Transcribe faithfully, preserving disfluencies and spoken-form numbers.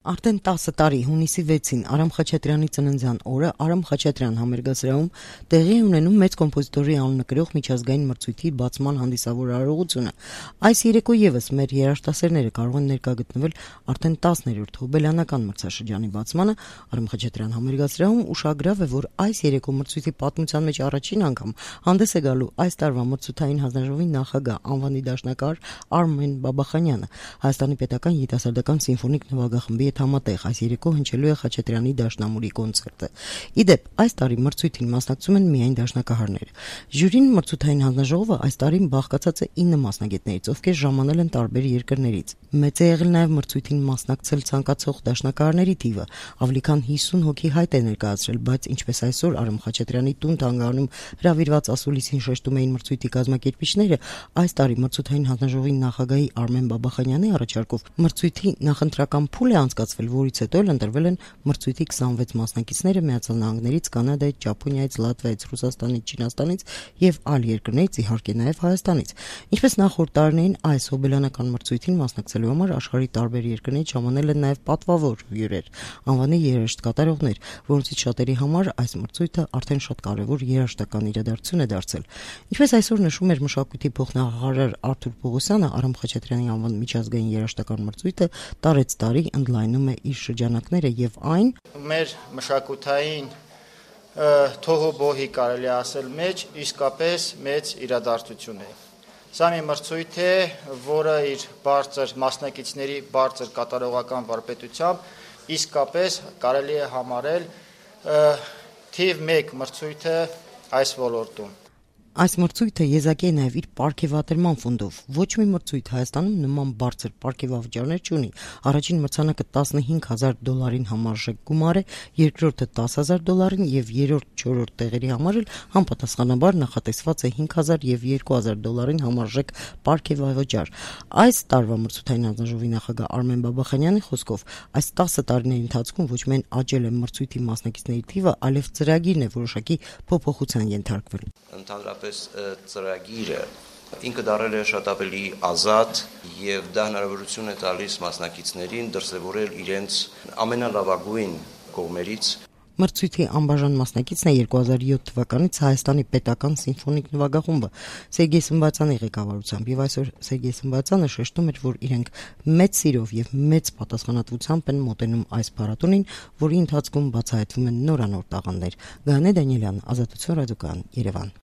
Արդեն տասը տարի հունիսի վեցին Արամ Խաչատրյանի ծննդյան օրը Արամ Խաչատրյան համերգասրահում տեղի է ունենում մեծ կոմպոզիտորի անուննկրող միջազգային մրցույթի բացման հանդիսավոր արարողությունը։ Այս երեկո ևս մեր երաժշտասերները կարող են ներկա գտնվել արդեն տասներորդ հոբելյանական մրցաշրջանի բացմանը Արամ Խաչատրյան համերգասրահում ուշագրավ է, որ այս երեկո մրցույթի պատմության մեջ առաջին անգամ հանդես է գալու այս տարվա մրցութային հանձնաժողովի նախագահ անվանի դաշնակահար Արմեն Բաբախանյանը։ Հայաստանի պետական երիտասարդական սիմֆոնիկ նվագախմբի հետ համատեղ այս երեկո հնչելու է Խաչատրյանի դաշնամուրի կոնցերտը։ Իդեպ, այս տարի մրցույթին մասնակցում են միայն դաշնակահարները։ Ժյուրին մրցութային հանձնաժողովը այս տարի բաղկացած է ինը մասնագետներից, ովքեր ժամանել են տարբեր երկրներից։ Մեծ է եղել նաև մրցույթին մասնակցել ցանկացող դաշնակահարների թիվը, ավելի քան հիսուն հոգի հայտ է ներկայացրել, բայց ինչպես այսօր Արամ Խաչատրյանի տուն թանգարանում հրավիրված ասուլիսին շեշտում էին մրցույթի կազմակերպիչները, այս տարի մրցութային հանձնաժողովի նախագահի Արմեն Բաբախանյանի առաջարկով մրցույթի նախընտրական փուլ է անցկացվել, որից հետո էլ ընտրվել են մրցույթի քսանվեց մասնակիցները Միացյալ Նահանգներից, Կանադայից, Ճապոնիայից, Լատվիայից, Ռուսաստանից, Չինաստանից եւ այլ երկրներից, իհարկե նաեւ Հայաստանից։ Ինչպես նախորդ տարիներին այս հոբելյանական մրցույթին մասնակցելու համար աշխարհի տարբեր երկրներից ժամանել են նաեւ պատվավոր հյուրեր, անվանի երաժշտ կատարողներ, որոնցից շատերի համար այս մրցույթը արդեն շատ կարևոր երաժշտական իրադարձություն է դարձել։ Ինչպես այսօր նշում էր մշակույթի փոխնախարար Արթուր Պողոսյանը, Արամ Խաչատրյանի անվան միջազգային երաժշտական մրցույթը տարեց տարի ընդլայնում է իր շրջանակները եւ այն մեր մշակութային թոհոբոհի կարելի ասել մեջ իսկապես մեծ իրադարձություն է։ Սա մի մրցույթ է, որը իր բարձր մասնակիցների բարձր կատարողական վարպետությամբ իսկապես կարելի է համարել թիվ մեկ մրցույթը այս ոլորտում։ Այս մրցույթը եզակի է նաև իր պարգևատրման ֆոնդով։ Ոչ մի մրցույթ Հայաստանում նման բարձր պարգևավճարներ չունի։ Առաջին մրցանակը տասնհինգ հազար դոլարին համարժեք գումար է, երկրորդը տասը հազար դոլարին եւ երրորդ-չորրորդ տեղերի համար էլ համապատասխանաբար նախատեսված է հինգ հազար եւ երկու հազար դոլարին համարժեք պարգևավճար։ Այս տարվա մրցութային հանձնաժողովի նախագահ Արմեն Բաբախանյանի խոսքով այս տասը տարիների ընթացքում ոչ միայն աճել է մրցույթի մասնակիցների թիվը, այլև ծրագիրն է որոշակի փոփոխության ենթարկվել։ Ընդհանրապես ծրագիրը ինքը դարել է շատ ավելի ազատ եւ դա հնարավորություն է տալիս մասնակիցներին դրսևորել իրենց ամենալավագույն կողմերից։ Մրցույթի անբաժան մասնակիցն է երկու հազար յոթ թվականից Հայաստանի պետական սիմֆոնիկ նվագախումբը Սերգեյ Սմբատյանի ղեկավարությամբ եւ այսօր Սերգեյ Սմբատյանը շեշտում էր, որ իրենք մեծ սիրով եւ մեծ պատասխանատվությամբ են մոտենում այս փառատոնին, որի ընթացքում բացահայտվում են նորանոր տաղանդներ։ Գայանե Դանիելյան, Ազատություն ռադիոկայան, Երևան։